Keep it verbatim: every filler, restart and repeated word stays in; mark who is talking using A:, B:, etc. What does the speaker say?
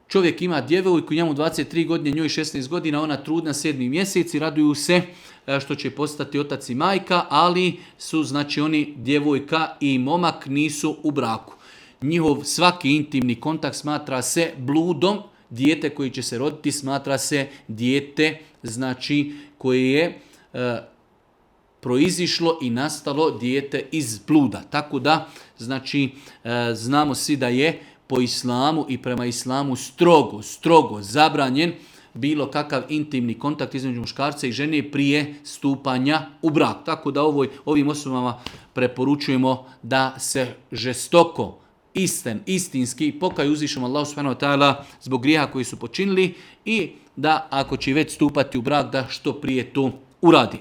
A: Čovjek ima djevojku, njemu dvadeset tri godine, njoj šesnaest godina, ona trudna sedmi mjesec i raduju se što će postati otac i majka, ali su znači oni djevojka i momak nisu u braku. Njihov svaki intimni kontakt smatra se bludom, dijete koji će se roditi smatra se dijete znači koje je e, proizišlo i nastalo dijete iz bluda. Tako da znači e, znamo svi da je po islamu i prema islamu strogo, strogo zabranjen bilo kakav intimni kontakt između muškarca i žene prije stupanja u brak. Tako da ovoj, ovim osobama preporučujemo da se žestoko, isten, istinski pokaju uzvišom Allahu subhanahu wa ta'ala zbog grijeha koji su počinili i da ako će već stupati u brak da što prije to uradi.